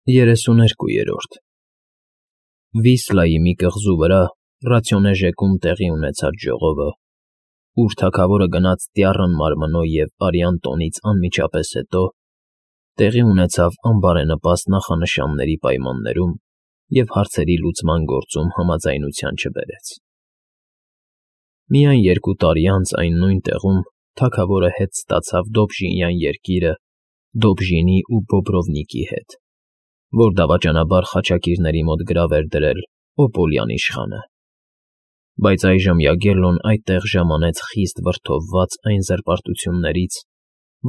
32-րդ Վիսլայի մի կղզու վրա ռացիոնեժեկում տեղի ունեցած ժողովը, ուր թագավորը գնաց դյառն մարմնով և արյան տոնից անմիջապես հետո, տեղի ունեցավ անբարենպաստ նախանշանների պայմաններում և հարցերի լուծման գործում համաձայնության չբերեց։ Միայն 2 տարի անց այն նույն տեղում թագավորը հետ ստացավ Դոբժինյան երկիրը Դոբժինի ու Բոբրովնիկի հետ, որ դավաճանաբար խաչակիրների մոտ գրավ էր դրել Օպոլյան իշխանը։ Բայց այժմ Յագելլոն այդտեղ ժամանեց խիստ վրդովված այն զրպարտություններից,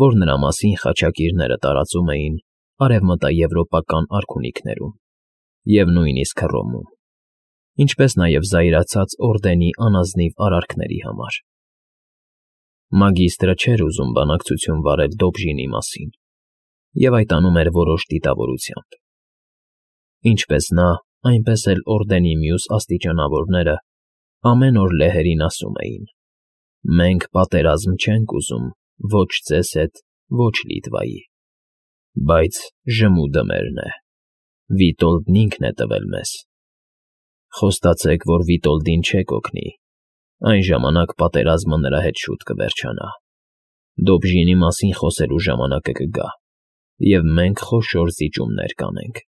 որ նրա մասին խաչակիրները տարածում էին արևմտաեվրոպական արքունիքներում և նույնիսկ Հռոմում, ինչպես նաև զայրացած օրդենի անազնիվ արարքների համար։ Մագիստրը չէր ուզում բանակցություն վարել Դոբժինի մասին և այդ անում էր որոշ դիտավորությամբ։ Ինչպես նա, այնպես էլ օրդենի մյուս աստիճանավորները ամեն օր լեհերին ասում էին. «Մենք պատերազմ չենք ուզում ոչ ձեզ հետ, ոչ Լիտվայի, բայց ժմուդը մերն է, Վիտոլդն ինքն է տվել մեզ։ Խոստացեք, որ Վիտոլդին չեք օգնի, այն ժամանակ պատերազմը նրա հետ շուտ կվերջանա։ Դոբժինի մասին խոսելու ժամանակը կգա, և մենք խոշոր զիջումներ կանենք»։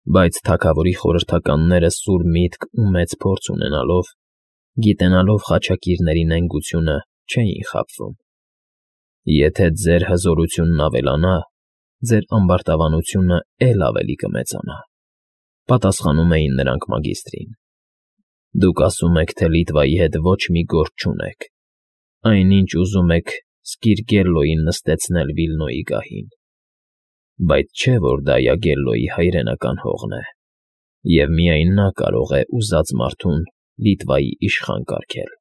Բայց թագավորի խորհրդականները սուր միտք ու մեծ փորձ ունենալով, գիտենալով խաչակիրների նենգությունը, չէին խաբվում։ «Եթե ձեր հզորությունն ավելանա, ձեր ամբարտավանությունը էլ ավելի կմեծանա», պատասխանում էին նրանք մագիստրին։ «Դուք ասում եք, թե Լիտվայի հետ ոչ մի գործ չունեք, այնինչ ուզում եք Սկիրգելլոյին նստեցնել Վիլնոյի գահին, բայց չէ՞ որ դա Յագելլոյի հայրենական հողն է, և միայն նա կարող է ուզած մարդուն Լիտվայի իշխան կարգել։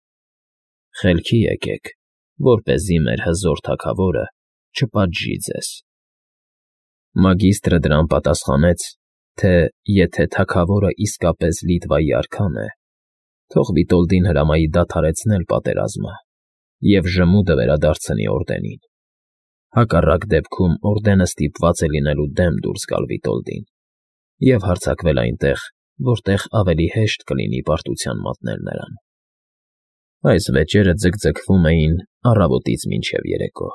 Խելքի եկեք, որպեսզի մեր հզոր թագավորը չպատժի ձեզ»։ Մագիստրը դրան պատասխանեց, թե եթե թագավորը իսկապես Լիտվայի արքան է, թող Վիտոլդին հրամայի դադարեցնել պատերազմը և ժմուդը վերադարձնի օրդենին։ Հակառակ դեպքում օրդենը ստիպված է լինելու դեմ դուրս գալ Վիտոլդին և հարձակվել այնտեղ, որտեղ ավելի հեշտ կլինի պարտության մատնել նրան։ Այս վեճերը ձգձգվում էին առավոտից մինչև երեկո,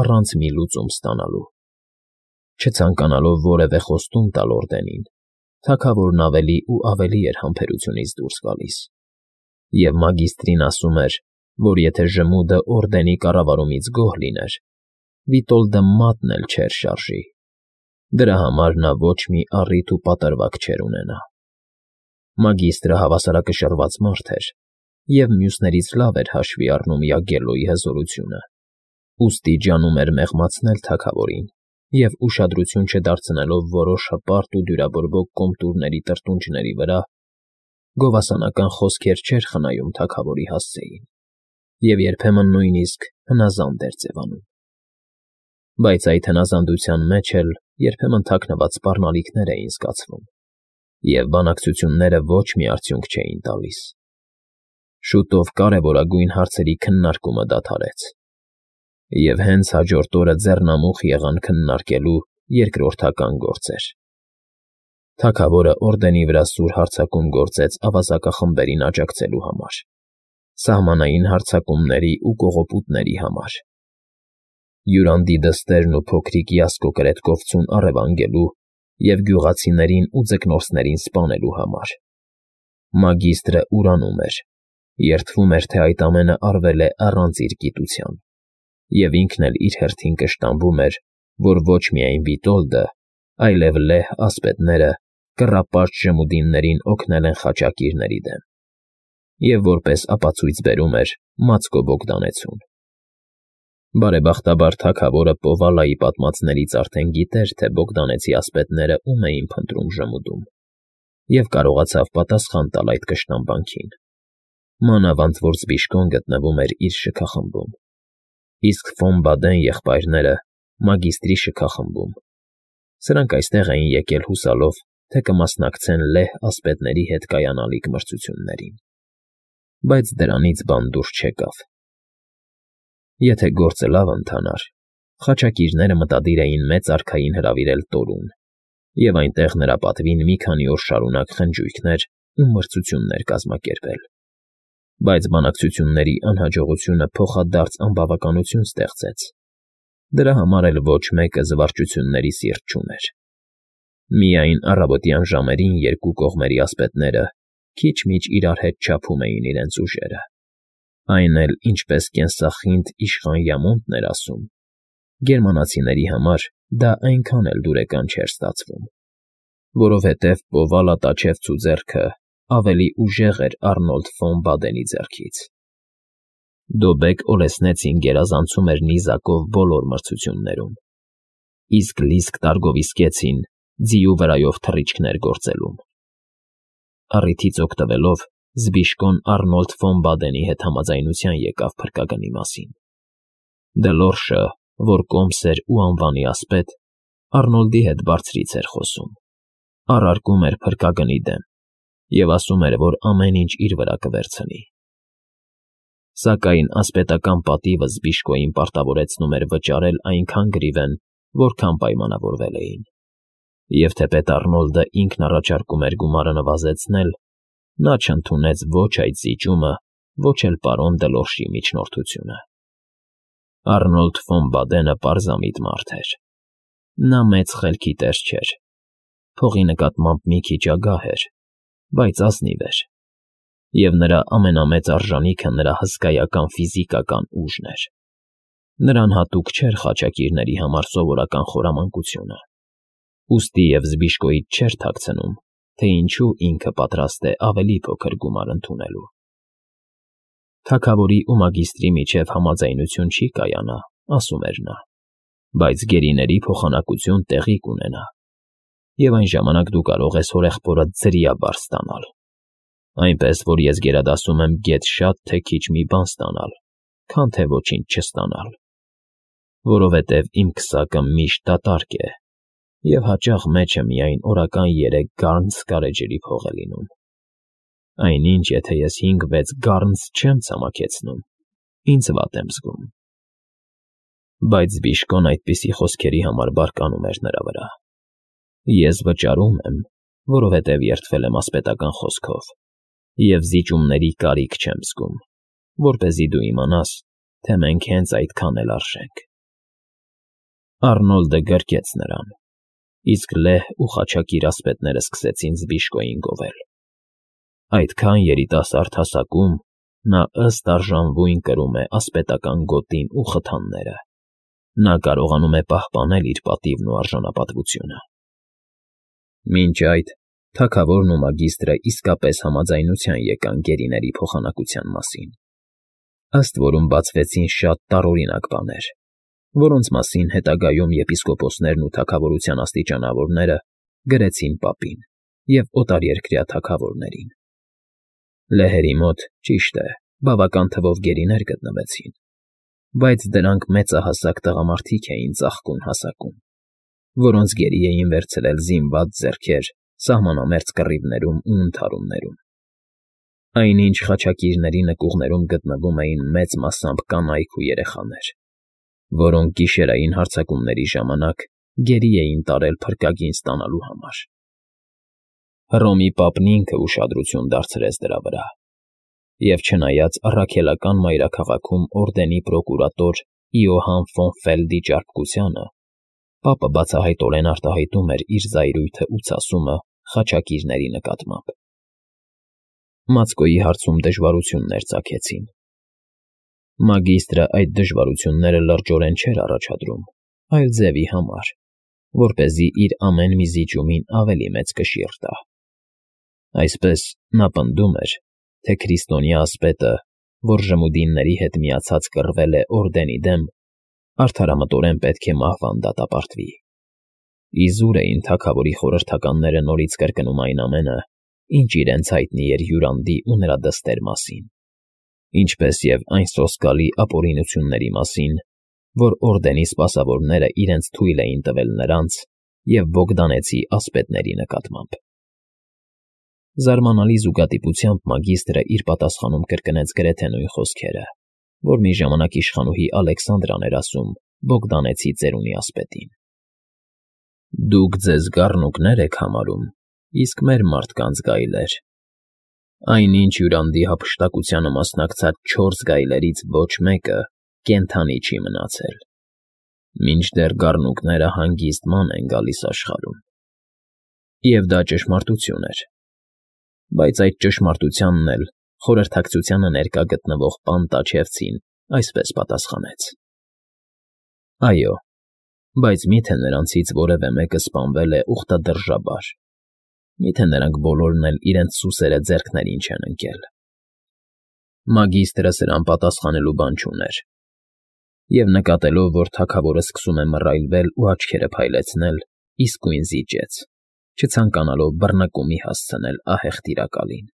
առանց մի լուծում ստանալու։ Չցանկանալով որևէ խոստում տալ օրդենին, թագավորն ավելի ու ավելի էր համբերությունից դուրս գալիս, և մագիստրին ասում էր, որ եթե ժմուդը օրդենի կառավարումից գոհ լիներ, Վիտոլդը մատն էլ չէր շարժի։ Դրա համար նա ոչ մի առիթ ու պատրվակ չէր ունենա։ Մագիստրը հավասարակշռված մարդ էր և մյուսներից լավ էր հաշվի առնում Յագելլոյի հզորությունը, ուստի ջանում էր մեղմացնել թագավորին և ուշադրություն չդարձնելով որոշ հպարտ ու դյուրաբորբոք կոմտուրների տրտունջների վրա, գովասանական խոսքեր չէր խնայում թագավորի հասցեին և երբեմն նույնիսկ հնազանդ էր ձևանում։ Բայց այդ հնազանդության մեջ էլ երբեմն թաքնված սպառնալիքներ էին զգացվում, և բանակցությունները ոչ մի արդյունք չէին տալիս։ Շուտով կարևորագույն հարցերի քննարկումը դադարեց, և հենց հաջորդ օրը ձեռնամուխ եղան քննարկելու երկրորդական գործեր։ Թագավորը օրդենի վրա սուր հարձակում գործեց ավազակախմբերին աջակցելու համար, սահմանային հարձակումների ու կողոպուտների համար, Յուրանդի դստերն ու փոքրիկ Յասկո կրետկովցուն առևանգելու և գյուղացիներին ու ձկնորսներին սպանելու համար։ Մագիստրը ուրանում էր, երդվում էր, թե այդ ամենը արվել է առանց իր գիտության, և ինքն էլ իր հերթին կշտամբում էր, որ ոչ միայն Վիտոլդը, այլև լեհ ասպետները կռապաշտ ժմուդիններին օգնել են խաչակիրների դեմ, և որպես ապացույց բերում էր Մացկո Բոգդանեցուն։ Բարեբախտաբար թագավորը Պովալայի պատմածներից արդեն գիտեր, թե Բոգդանեցի ասպետները ում էին փնտրում ժմուդում, և կարողացավ պատասխան տալ այդ կշտամբանքին, մանավանդ որ Զբիշկոն գտնվում էր իր շքախմբում, իսկ Ֆոն Բադեն եղբայրները՝ մագիստրի շքախմբում։ Սրանք այստեղ էին եկել հուսալով, թե կմասնակցեն լեհ ասպետների հետ կայանալիք մրցություններին, բայց դրանից բան դուրս չեկավ։ Եթե գործը լավ ընթանար, խաչակիրները մտադիր էին մեծ արքային հրավիրել Տորուն և այնտեղ նրա պատվին մի քանի օր շարունակ խնջույքներ ու մրցություններ կազմակերպել։ Բայց բանակցությունների անհաջողությունը փոխադարձ անբավականություն ստեղծեց։ Դրա համար էլ ոչ մեկը զվարճությունների սիրտ չուներ։ Միայն առավոտյան ժամերին երկու կողմերի ասպետները քիչ-միչ իրար հետ չափում էին իրենց ուժերը։ Այն էլ, ինչպես կենսախինդ իշխան Յամոնտն էր ասում, գերմանացիների համար դա այնքան էլ դուրեկան չէր ստացվում, որովհետև Պովալա տաչևցու ձեռքը ավելի ուժեղ էր Առնոլդ ֆոն Բադենի ձեռքից։ Դոբեկ Օլեսնեցին գերազանցում էր նիզակով բոլոր մրցություններում, իսկ Լիսկ Տարգովիսկեցին ձիու վրայով թռիչքներ գործելում։ Առիթից օգտվելով Զբիշկոն Առնոլդ ֆոն Բադենի հետ համաձայնության եկավ փրկագնի մասին։ Դլորշը, որ կոմս էր ու անվանի ասպետ, Առնոլդի հետ բարձրից էր խոսում, առարկում էր փրկագնի դեմ և ասում էր, որ ամեն ինչ իր վրա կվերցնի։ Սակայն ասպետական պատիվը Զբիշկոյին պարտավորեցնում էր վճարել այնքան գրիվեն, որքան պայմանավորվել էին։ Եվ թեպետ Առնոլդը ինքն առաջարկում էր գումարը նվազեցնել, նա չընդունեց ոչ այդ զիջումը, ոչ էլ պարոն Դլորշի միջնորդությունը։ Առնոլդ ֆոն Բադենը պարզամիտ մարդ էր։ Նա մեծ խելքի տեր չէր, փողի նկատմամբ մի քիչ ագահ էր, բայց ազնիվ էր, և նրա ամենամեծ արժանիքը նրա հսկայական ֆիզիկական ուժն էր։ Նրան հատուկ չէր խաչակիրների համար սովորական խորամանկությունը, ուստի և Զբիշկոյից չէր թաքցնում, թե ինչու ինքը պատրաստ է ավելի փոքր գումար ընդունելու։ Թագավորի ու մագիստրի միջև համաձայնություն չի կայանա, ասում էր նա, բայց գերիների փոխանակություն տեղի կունենա, և այն ժամանակ դու կարող ես հորեղբորդ ձրիաբար ստանալ, այնպես որ ես գերադասում եմ գեթ շատ թե քիչ մի բան ստանալ, քան թե ոչինչ չստանալ, որովհետև իմ քսակը միշտ դատարկ է, և հաճախ մեջը միայն օրական 3 գառնց գարեջրի փող է լինում։ Այնինչ, եթե ես 5-6 գառնց չեմ ցամաքեցնում, ինձ վատ եմ զգում։ Բայց Զբիշկոն այդպիսի խոսքերի համար բարկանում էր նրա վրա։ Ես վճարում եմ, որովհետև երդվել եմ ասպետական խոսքով, և զիջումների կարիք չեմ զգում, որպեսզի դու իմանաս, թե մենք հենց այդքան էլ արժենք։ Առնոլդը գրկեց նրան, իսկ լեհ ու խաչակիր ասպետները սկսեցին Զբիշկոյին գովել։ Այդքան երիտասարդ հասակում նա ըստ արժանվույն կրում է ասպետական գոտին ու խթանները։ Նա կարողանում է պահպանել իր պատիվն ու արժանապատվությունը։ Մինչ այդ թագավորն ու մագիստրը իսկապես համաձայնության եկան գերիների փոխանակության մասին, ըստ որում բացվեցին շատ տարօրինակ բաներ, որոնց մասին հետագայում եպիսկոպոսներն ու թագավորության աստիճանավորները գրեցին պապին և օտարերկրյա թագավորներին։ Լեհերի մոտ, ճիշտ է, բավական թվով գերիներ գտնվեցին, բայց դրանք մեծահասակ տղամարդիկ էին ծաղկուն հասակում, որոնց գերի էին վերցրել զինված ձեռքեր սահմանամերձ կռիվներում ու ընդհարումներում։ Այնինչ խաչակիրների նկուղներում գտնվում էին մեծ մասամբ կանայք ու երեխաներ, որոնք գիշերային հարձակումների ժամանակ գերի էին տարել փրկագին ստանալու համար։ Հռոմի պապն ինքը ուշադրություն դարձրեց դրա վրա, և չնայած առաքելական մայրաքաղաքում օրդենի պրոկուրատոր Իոհան ֆոն Ֆելդի ճարպկությանը, պապը բացահայտորեն արտահայտում էր իր զայրույթը ու ցասումը խաչակիրների նկատմամբ։ Մացկոյի հարցում դժվարություններ ծագեցին։ Մագիստրը այդ դժվարությունները լրջորեն չէր առաջադրում, այլ ձևի համար, որպեսզի իր ամեն մի զիջումին ավելի մեծ կշիռ տա։ Այսպես նա պնդում էր, թե քրիստոնյա ասպետը, որ ժմուդինների հետ միացած կռվել է օրդենի դեմ, արդարամտորեն պետք է մահվան դատապարտվի։ Իզուր էին թագավորի խորհրդականները նորից կրկնում այն ամենը, ինչ իրենց հայտնի էր Յուրանդի ու նրա դստեր մասին, ինչպես և այն սոսկալի ապօրինությունների մասին, որ օրդենի սպասավորները իրենց թույլ էին տվել նրանց և Բոգդանեցի ասպետների նկատմամբ։ Զարմանալի զուգադիպությամբ մագիստրը իր պատասխանում կրկնեց գրեթե նույն խոսքերը, որ մի ժամանակ իշխանուհի Ալեքսանդրան էր ասում Բոգդանեցի ծերունի ասպետին։ Դուք ձեզ գառնուկներ եք համարում, իսկ մեր մարդկանց գայլեր. այնինչ հյուրանդի հափշտակությանը մասնակցած 4 գայլերից ոչ մեկը կենդանի չի մնացել, մինչդեռ գառնուկները հանգիստ ման են գալիս աշխարհում։ Եվ դա ճշմարտություն էր, բայց այդ ճշմարտությանն էլ խորհրդակցությանը ներկա գտնվող Պանտաչևցին այսպես պատասխանեց. Այո, բայց միթե նրանցից որևէ մեկը սպանվել է ուխտադրժաբար, միթե նրանք բոլորն էլ իրենց սուսերը ձեռքներին չեն ընկել։ Մագիստրը սրան պատասխանելու բան չուներ, և նկատելով, որ թագավորը սկսում է մռայլվել ու աչքերը փայլեցնել, իսկույն զիջեց, չցանկանալով բռնկումի հասցնել ահեղ տիրակալին։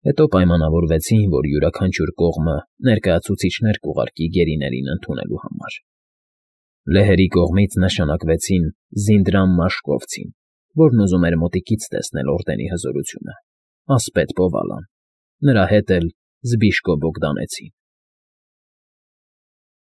Հետո պայմանավորվեցին, որ յուրաքանչյուր կողմը ներկայացուցիչներ կուղարկի գերիներին ընդունելու համար։ Լեհերի կողմից նշանակվեցին Զինդրամ Մաշկովցին, որն ուզում էր մոտիկից տեսնել օրդենի հզորությունը, ասպետ Պովալան, նրա հետ էլ Զբիշկո Բոգդանեցին։